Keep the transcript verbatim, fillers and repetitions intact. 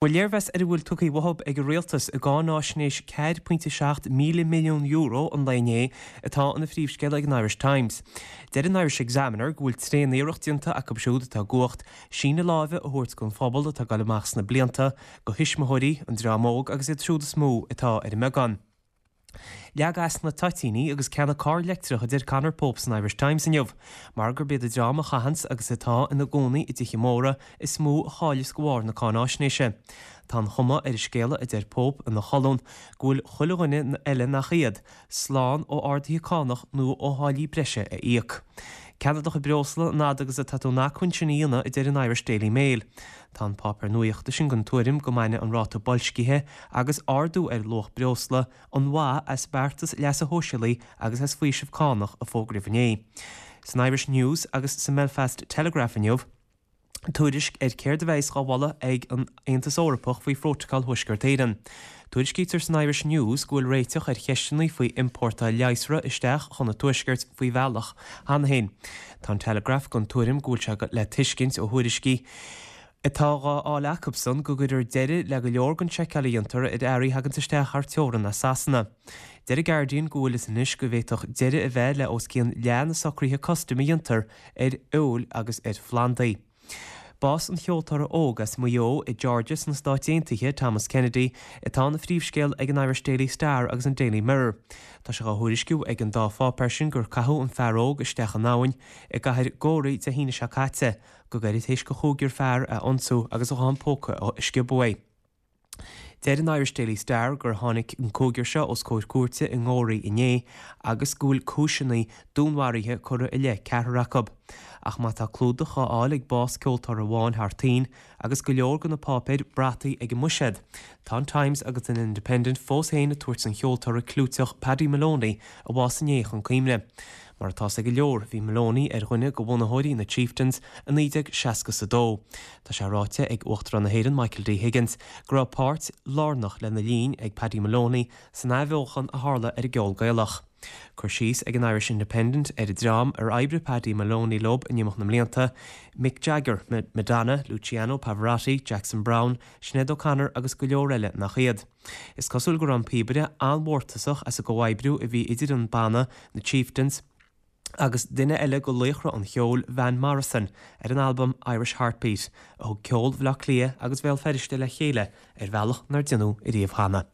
Bhuel léirmheas ar a bhfuil tugtha uathu ag an rialtas i gcáináisnéis ceathair pointe seacht míle milliún euro an lae inné atá ina phríomhscéal ag an Irish Times. Deir an Irish Examiner go bhfuil tréaniarracht déanta acu siúd atá i gcumhacht síneadh láimhe a thabhairt don phobal atá ag dul amach sna blianta, do thuismitheoirí, an dream óg agus iad siúd is mó atá ar an mbeagán. Leag as na toitíní agus ceannaigh carr leictreach a deir Conor Pope san Irish Times inniu, mar gurb iad an dream a chaitheanns agus atá ina gcónaí i dtithe móra is mó a chailleas de bharr na cáináisnéise. Tá an chuma ar an scéala a deir Pope ina cholún go bhfuil chuile dhuine eile nach iad, slán ó arduithe cánach nó ó tháillí breise a íoc. Ceannaigh do chuid breosla an fhad agus atá tú in acmhainn sin a dhéanamh a deir an Irish Daily Mail. Tá an páipéar nuachta sin den tuairim go mbainfidh an ráta boilscithe agus ardú ar luach breosla an mhaith as beartas leasa shóisialaigh agus as faoiseamh cánach a fógraíodh inné. San Irish News agus sa mBelfast Telegraph inniu, tuairisc ar céard a bheas á mholadh ag an Aontas Eorpach faoi Phrótacal Thuaisceart Éireann. Tuairiscítear san Irish News go bhfuil réiteach ar cheisteanna faoi iompórtáil leigheasra isteach chun an Tuaiscirt faoi bhealach cheana féin. Tá an Telegraph den tuairim go bhfuil sé le tuiscint ó thuairiscí atá á fháil acusan go gcuirfear deireadh le go leor den tseiceáil a dhéantar ar earraí a thagann isteach thar teorainn as Sasana. Deir an Guardian go bhfuil fhios anois go bhféadfadh deireadh a bheith le os cionn leath na socruithe custaim a dhéantar ar fheoil agus ar phlandaí. Bás an cheoltóra óg as Maigh Eo i Georgia sna Stáit Aontaithe, Thomas Kennedy, atá ina phríomhscéal ag an Irish Daily Star agus an Daily Mirror. Tá sé á thuairisciú ag an dá pháipéar sin gur caitheadh an fear óg isteach in abhainn i gcathair Gorey Dé hAoine seo caite, go gairid théis do chúigear fear a ionsú agus a ghuthán póca a sciobadh uaidh. Deir an Irish Daily Star gur tháinig an cúigear seo os comhair cúirte i nGoraí inné agus go bhfuil cúiseanna dúnmharaithe curtha i leith ceathrar acu. Ach má tá clúdach á fháil ag bás ceoltóra amháin thar toinn agus go leor de na páipéir brataí ag an mbuiséad, tá an Times agus an Independent fós féin ag tabhairt an cheoltóra clúiteach Paddy Moloney a bhásaigh inné chun cuimhne. Mar atá ag go leor, bhí Moloney ar dhuine de bhunaitheoirí na Chieftains i naoi déag seasca is a dó. Tá sé ráite ag Uachtarán na hÉireann Michael D. Higgins go raibh páirt lárnach lena linn ag Paddy Moloney san athbheochan a tharla ar an gceol Gaelach. Cur síos ag an Irish Independent ar an dream ar oibrigh Paddy Moloney leo in imeacht na mblianta, Mick Jagger, Madonna, Luciano Pavarotti, Jackson Browne, Sinéad O'Connor agus go leor eile nach iad. Is cosúil go raibh an píobaire an-mhórtasach as an gcomhoibriú a bhí idir an banna, na Chieftains, agus duine eile de laochra an cheoil Van Morrison ar an albam Irish Heartbeat, a thug ceol Bhaile Átha Cliath agus Bhéal Feirste le chéile ar bhealach nár déanadh ariamh cheana.